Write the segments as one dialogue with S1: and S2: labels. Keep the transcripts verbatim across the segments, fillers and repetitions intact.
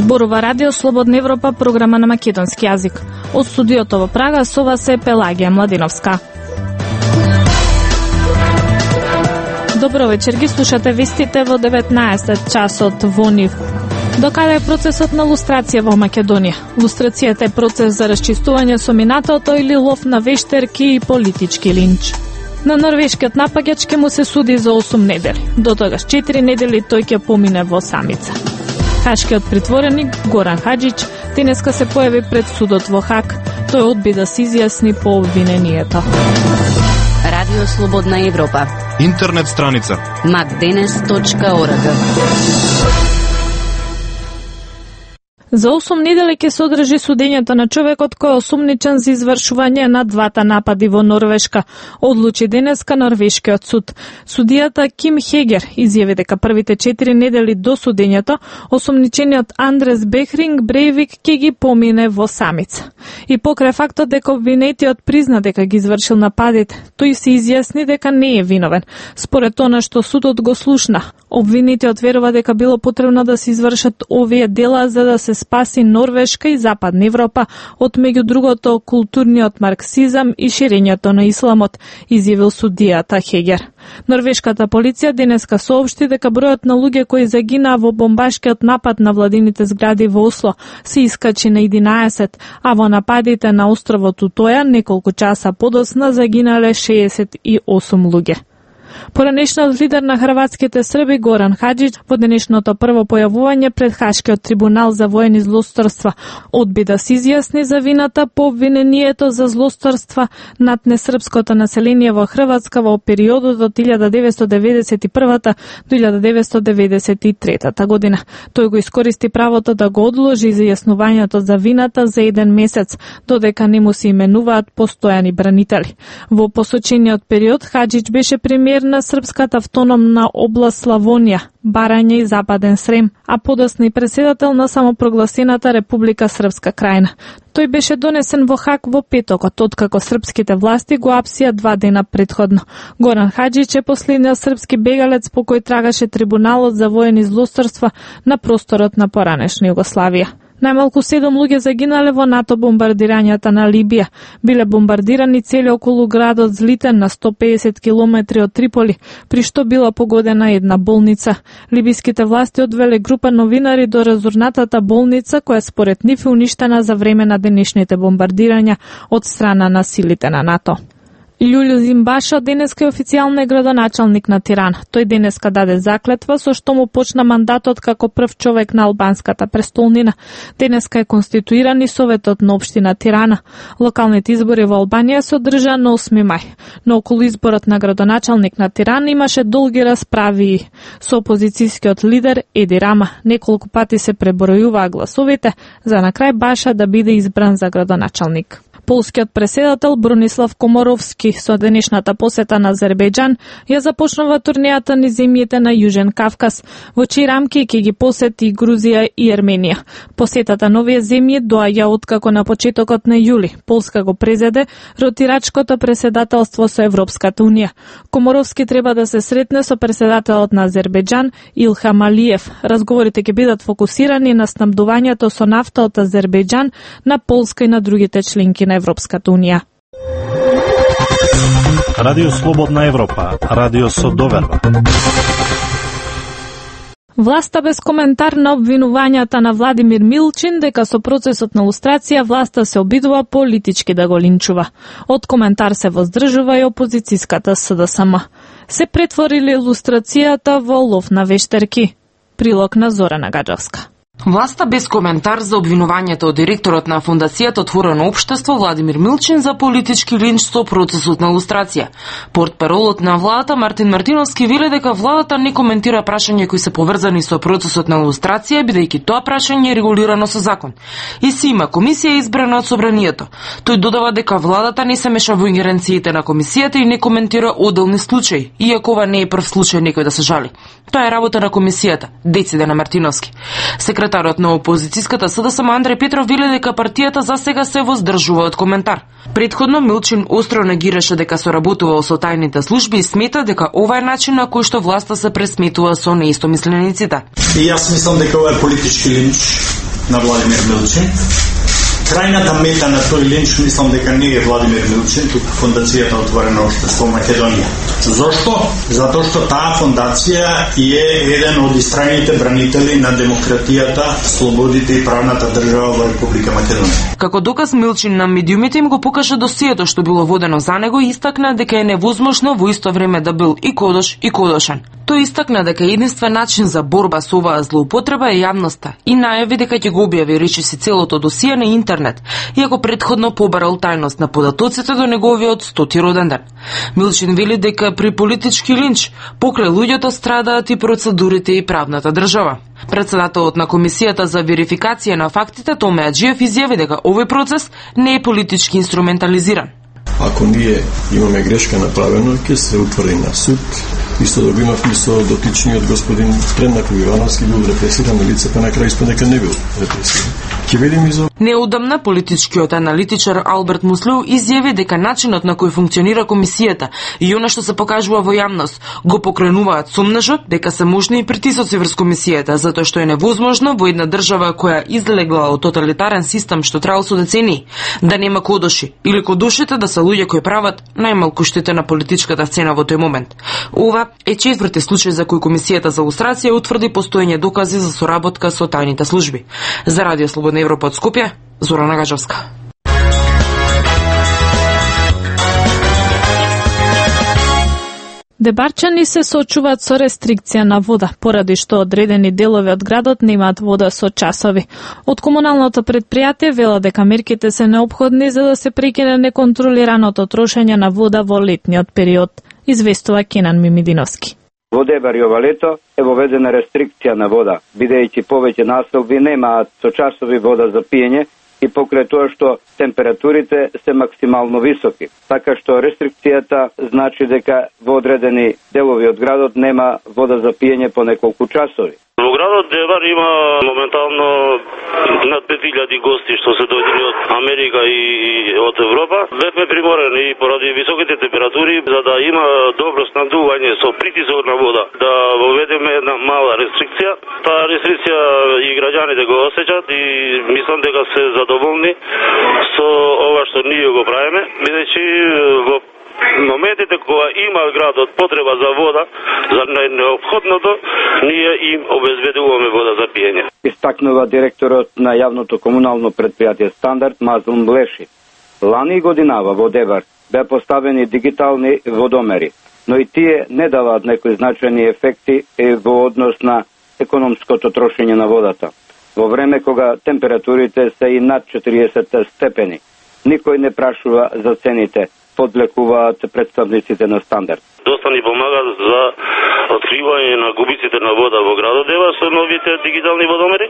S1: Зборува Радио Слободна Европа, програма на македонски јазик. Од студиото во Прага со вас е Пелагија Младиновска. Добро вечер, ги слушате вестите во деветнаесет часот во НИВ. Докаде е процесот на лустрација во Македонија? Лустрацијата е процес за расчистување со минатото или лов на вештерки и политички линч. На норвешкиот напаѓач ќе му се суди за осум недели. До тогаш четири недели тој ќе помине во самица. Хашкиот притвореник Горан Хаџич денеска се појави пред судот во Хаг. Тој одби да се изјасни по обвинението.
S2: Радио Слободна Европа.
S3: Интернет страница
S2: макденес точка орг.
S1: За осум недели ќе се одржи судењето на човекот кој е осумничен за извршување на двата напади во Норвешка, одлучи денеска норвешкиот суд. Судијата Ким Хегер изјави дека првите четири недели до судењето осумничениот Андрес Бехринг Брейвик ќе ги помине во самица. И покрај фактот дека обвинетиот призна дека ги извршил нападите, тој се изјасни дека не е виновен. Според она што судот го слушна, обвинетиот верува дека било потребно да се извршат овие дела за да се спаси Норвешка и Западна Европа од меѓу другото културниот марксизам и ширењето на исламот, изјавил судијата Хегер. Норвешката полиција денеска соопшти дека бројот на луѓе кои загинаа во бомбашкиот напад на владините згради во Осло се искачи на единаесет, а во нападите на островот Утоја неколку часа подоцна загинале шеесет и осум луѓе. Поранешниот лидер на хрватските срби Горан Хаџич во денешното прво појавување пред Хашкиот трибунал за воени злосторства одби да се изјасни за вината по обвинението за злосторства над несрпското население во Хрватска во периодот од илјада деветстотини деветдесет и прва до илјада деветстотини деветдесет и трета година. Тој го искористи правото да го одложи за јаснувањето за вината за еден месец, додека не му се именуваат постојани бранители. Во посочениот период Хаџич беше премиер на српската автономна област Славонија, Барања и Западен Срем, а подоцна и председател на самопрогласената Република Српска крајна. Тој беше донесен во Хаг во петокот, откако српските власти го апсија два дена предходно. Горан Хаџич е последниот српски бегалец по кој трагаше трибуналот за воени злосторства на просторот на поранешна Југославија. Најмалку седум луѓе загинале во НАТО бомбардирањата на Либија. Биле бомбардирани цели околу градот Злитен на сто педесет километри од Триполи, при што била погодена една болница. Либиските власти одвеле група новинари до разорнатата болница, која според нив е уништена за време на денешните бомбардирања од страна на силите на НАТО. Љулју Зимбаша денеска е официјално градоначалник на Тирана. Тој денеска даде заклетва со што му почна мандатот како прв човек на албанската престолнина. Денеска е конституиран и Советот на општина Тирана. Локалните избори во Албанија се одржаа на осми мај. Но околу изборот на градоначалник на Тирана имаше долги расправи со опозицијскиот лидер Еди Рама. Неколку пати се пребројуваа гласовите за на крај Баша да биде избран за градоначалник. Полскиот преседател Бронислав Комаровски со денешната посета на Азербејџан ја започнува турнејата низ земјите на Јужен Кавказ, во чии рамки ќе ги посети Грузија и Ерменија. Посетата на овие земји доаѓа откако на почетокот на јули Полска го презеде ротирачкото преседателство со Европската унија. Комаровски треба да се сретне со преседателот на Азербејџан Илхам Алиев. Разговорите ќе бидат фокусирани на снабдувањето со нафта од Азербејџан на Полска и на другите членки на Европската унија.
S4: Радио Слободна Европа, радио со доверба.
S1: Власта без коментар на обвинувањата на Владимир Милчин дека со процесот на лустрација власта се обидува политички да го линчува. Од коментар се воздржува и опозицијската С Д С М. Се претворили лустрацијата во лов на вештерки. Прилог на Зорана Гаджевска.
S5: Власта без коментар за обвинувањето од директорот на Фондацијата Отворено општество Владимир Милчин за политички линч со процесот на лустрација. Портпаролот на владата Мартин Мартиновски вели дека владата не коментира прашања кои се поврзани со процесот на лустрација, бидејќи тоа прашање е регулирано со закон. И си има комисија избрана од собранието. Тој додава дека владата не се меша во ингеренциите на комисијата и не коментира одделни случаи, иако ова не е прв случај некој да се жали. Тоа е работа на комисијата, дециде на Мартиновски. Секретарот на опозицијската С Д С М Андреј Петров вели дека партијата за сега се воздржува од коментар. Предходно Милчин остро негираше дека соработувал со тајните служби и смета дека ова е начин на кој што власта се пресметува со неистомислениците.
S6: И јас мислам дека ова е политички линч.
S3: на Владимир Милчин. Крајната мета на тој линч мислам дека не е Владимир Милчин, туку Фондацијата Отворено општество Македонија. Зошто? Затоа што таа фондација е еден од истрајните бранители на демократијата, слободите и правната држава во Република Македонија.
S5: Како доказ Милчин на медиумите им го покажа досието што било водено за него и истакна дека е невозможно во исто време да бил и кодош и кодошен. Тој истакна дека единствен начин за борба со оваа злоупотреба е јавноста и најави дека ќе го објави речиси целото досие на интернет, иако претходно побарал тајност на податоците до неговиот стоти роден ден. Милчин вели дека при политички линч покрај луѓето страдаат и процедурите и правната држава. Председателот на Комисијата за верификација на фактите Томе Аџиев изјави дека овој процес не е политички инструментализиран.
S6: Ако ние имаме грешка направено, ќе се утврди на суд. Исто да го имавме со дотичниот господин Тренаков Ивановски, бил репресиран на лице, па на крај испаде дека не бил репресиран. Ќе видим и за...
S5: Неодамна политичкиот аналитичар Алберт Муслеу изјави дека начинот на кој функционира комисијата и она што се покажува во јавност го покренуваат сомнежот дека се можни и притисоци врз комисијата, затоа што е невозможно во една држава која излегла од тоталитарен систем што траел со децении да нема кодоши или кодошите да се луѓе кои прават најмалку штета на политичката сцена во тој момент. Ова е четврти случај за кој Комисијата за лустрација утврди постоење докази за соработка со тајните служби. За Радио Слободна Европа од Скопје, Зорана Гажовска.
S1: Дебарчани се соочуваат со рестрикција на вода, поради што одредени делови од градот немаат вода со часови. Од комуналното предпријатие велат дека мерките се неопходни за да се прекине неконтролираното трошење на вода во летниот период, известува Кенан Мимидиновски.
S7: Во Дебар и ова лето е воведена рестрикција на вода, бидејќи повеќе населби немаат со часови вода за пиење и покрај тоа што температурите се максимално високи. Така што рестрикцијата значи дека во одредени делови од градот нема вода за пиење по неколку часови.
S8: Во градот Дебар има моментално над пет илјади гости што се дојдени од Америка и од Европа. Бевме приморени и поради високите температури за да има добро снабдување со притисок на вода, да воведеме една мала рестрикција. Таа рестрикција и граѓаните го осеќаат и мислам дека се задоволни со ова што ние го правиме, бидејќи во моментите кога има градот потреба за вода, за необходното, ние им обезбедуваме вода за пиење.
S7: Истакнува директорот на јавното комунално предпријатие Стандард Мазлум Блеши. Лани годинава во Дебар беа поставени дигитални водомери, но и тие не даваат некои значајни ефекти во однос на економското трошење на водата. Во време кога температурите се и над четириесет степени, никој не прашува за цените, подлекуваат представниците на Стандард.
S8: Доста ни помага за откривање на губиците на вода во градот Дебар со новите дигитални водомери,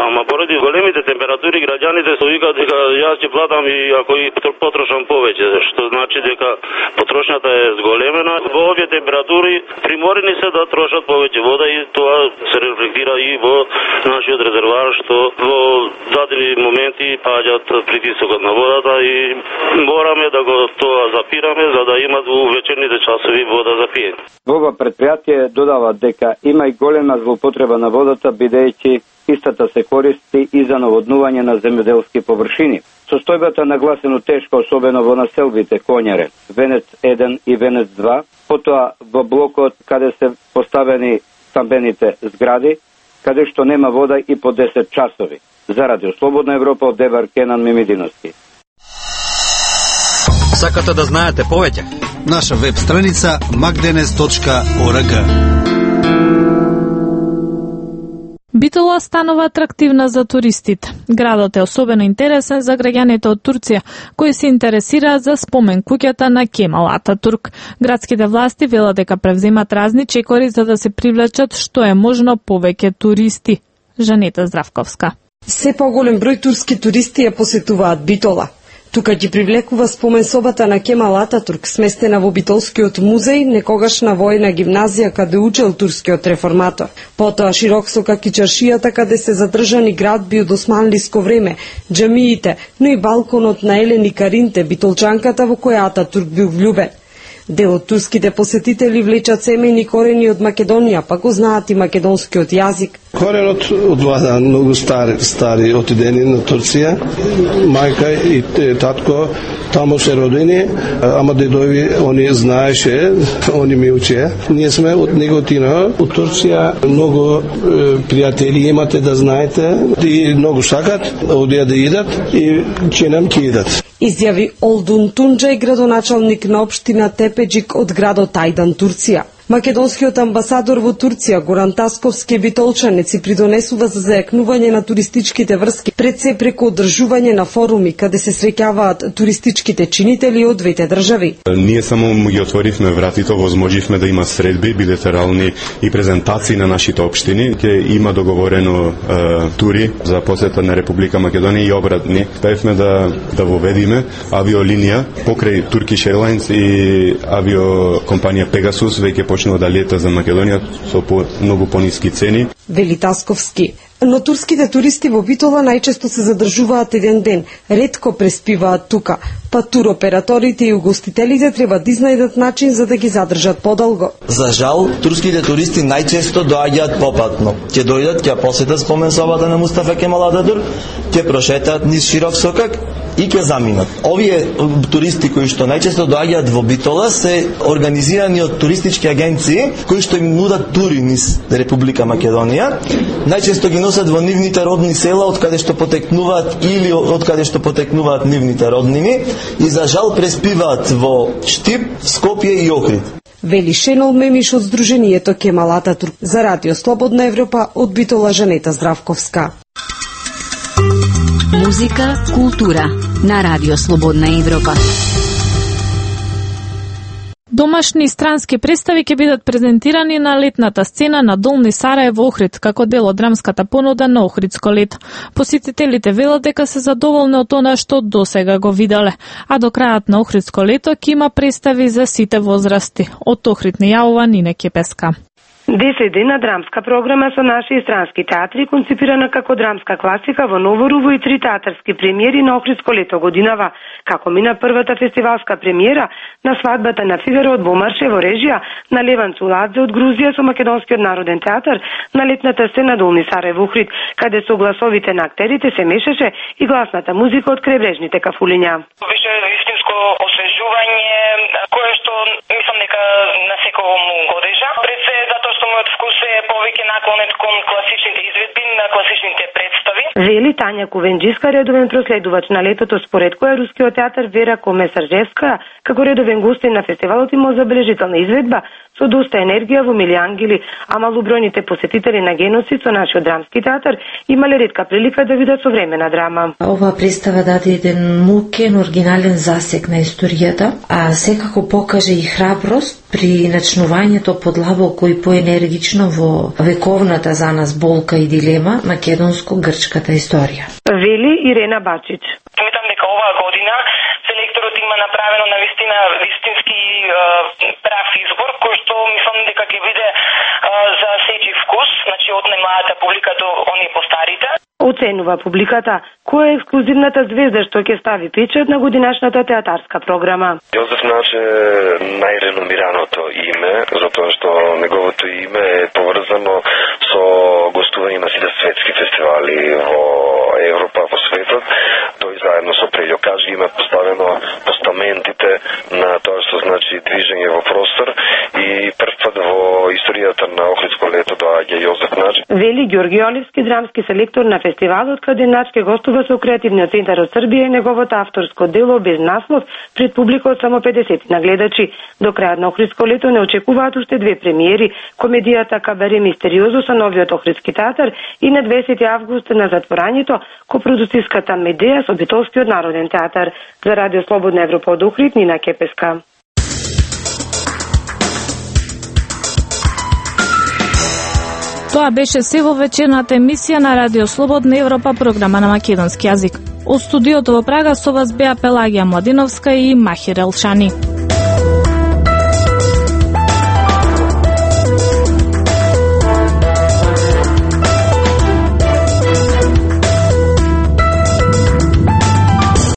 S8: ама поради големите температури граѓаните се викаат дека јас ќе платам и ако и потрошам повеќе, што значи дека потрошњата е зголемена. Во овие температури приморени се да трошат повеќе вода и тоа се рефлектира и во нашиот резервоар што во дадени моменти паѓаат притисокот на водата и мораме да го тоа запираме за да имат во вечерните часови вода за пиење.
S7: Во ова предпријатие додаваат дека има и голема злоупотреба на водата, бидејќи истата се користи и за наводнување на земјоделски површини. Состојбата нагласено тешка, особено во населбите Конјаре, Венец еден и Венец два, потоа во блокот каде се поставени стамбените згради, каде што нема вода и по десет часови. За Радио Слободна Европа од Дебар, Кенан Мимидиновски.
S9: Сакате да знаете повеќе?
S10: Наша веб страница макденес точка орг.
S1: Битола станува атрактивна за туристите. Градот е особено интересен за граѓаните од Турција, кои се интересираат за спомен куќата на Кемал Ататурк. Градските власти велат дека превземат разни чекори за да се привлечат што е можно повеќе туристи. Жанета Здравковска.
S11: Се поголем број турски туристи ја посетуваат Битола. Тука ги привлекува спомен собата на Кемал Ататурк, сместена во Битолскиот музеј, некогашна војна гимназија каде учел турскиот реформатор. Потоа Широксока кичаршијата каде се задржани градби од османлиско време, џамиите, но и балконот на Елени Каринте, битолчанката во која Ататурк бил влюбен. Дел од турските посетители влечат семејни корени од Македонија, па го знаат и македонскиот јазик.
S12: Коренот од влада многу стари, стари отидени на Турција. Мајка и татко тамо се родени, ама дедови они знаеше, они ми учеа. Ние сме од Неготина, од Турција. Многу е, пријатели имате, да знаете, и многу сакат одија да идат и че нам ќе идат.
S11: Изјави Олдун Тунџај, градоначалник на општина Тепеџик од градот Ајдан, Турција. Македонскиот амбасадор во Турција Горан Тасковски битолчанец и придонесува за зајакнување на туристичките врски, пред се преку одржување на форуми каде се среќаваат туристичките чинители од двете држави.
S13: Ние само ги отворивме вратите, возможивме да има средби билатерални и презентации на нашите општини. Ке има договорено е, тури за посета на Република Македонија и обратни. Пеевме да да воведиме авиолинија покрај Turkish Airlines и авиокомпанија Pegasus веќе почнува да лета за Македонија со по, многу пониски цени.
S11: Вели Тасковски. Но турските туристи во Битола најчесто се задржуваат еден ден, ретко преспиваат тука, па туроператорите и угостителите треба да изнајдат начин за да ги задржат подолго.
S14: За жал, турските туристи најчесто доаѓаат попатно. Ќе дојдат, ќе посетат споменсобата на Мустафа Кемал Ататурк, ќе прошетаат низ широк сокак и ќе заминат. Овие туристи кои што најчесто доаѓаат во Битола се организирани од туристички агенции кои што им нудат тури низ Република Македонија. Најчесто ги носат во нивните родни села од каде што потекнуваат или од каде што потекнуваат нивните роднини и за жал преспиваат во Штип, Скопје и Охрид.
S11: Вели Шенол Мемиш од Сдруженијето Кемал Ататурк за Радио Слободна Европа од Битола Жанета Здравковска.
S2: Музика, култура на Радио Слободна Европа.
S1: Домашни и странски представи ќе бидат презентирани на летната сцена на Долни Сараево Охрид, како дел од драмската понуда на Охридско лето. Посетителите велат дека се задоволни од она што досега го виделе, а до крајот на Охридско лето ќе има представи за сите возрасти. Од Охрид ни јавува Нине Кепеска.
S15: десет дена драмска програма со наши и странски театри, концепирана како драмска класика во Новорово и три театарски премиери на Охридско лето годинава, како мина првата фестивалска премиера на свадбата на Фигаро од Бомарше во режија на Леван Цуладзе од Грузија со Македонскиот народен театар на летната сцена Долни Сараево Охрид, каде со гласовите на актерите се мешаше и гласната музика од крајбрежните кафулиња.
S16: Беше истинско освежување кое што мислам дека на секој му годежа. Пред се затоа што мојот вкус е повеќе наклонет кон класичните изведби, на класичните представи.
S15: Вели Тања Кувенџиска, редовен проследувач на летото, според која рускиот театар Вера Комесаржевска, како редовен гостин на фестивалот, има забележителна изведба со доста енергија во мили ангели, а малобројните посетители на Геносид со нашиот драмски театар имале ретка прилика да видат современа драма.
S17: Оваа представа даде еден мукен, оригинален засек на историјата, а секако покаже и храброст при начнувањето подлабоко и поенергично во вековната за нас болка и дилема македонско-грчката историја.
S15: Вели Ирена Бачич.
S16: Сметам дека оваа година селекторот има направено на вистина вистински е, прав избор, кој што мислам дека ќе биде е, за сечи вкус, значи од најмладата публика до оние постарите.
S15: Оценува публиката која е ексклузивната звезда што ќе стави печат на годинашната театарска програма.
S18: Јозеф Нач е најреномираното име, затоа што неговото име е поврзано со гостување на сите светски фестивали во Европа, во светот. Тој заедно со Прељо Каджи има поставено постаментите на тоа што значи движење во простор и прв пат во историјата на Охридско лето доаѓа Јозеф Нач.
S15: Вели Ѓорги Оливски, драмски селектор на фестивалот, каде Нач ке гостува со Креативниот центар од Србија и неговото авторско дело без наслов пред публика од само педесет нагледачи. До крајот на Охридско лето не очекуваат уште две премиери, комедијата Кабаре Мистериозо со новиот Охридски театар и на дваесети август на затворањето копродуциската Медеја со Битолскиот народен театар. За Радио Слободна Европа од Охрид, Нина Кепеска.
S1: Тоа беше се во вечерната емисија на Радио Слободна Европа, програма на македонски јазик. Од студиото во Прага со вас беа Пелагија Младиновска и Махир Елшани.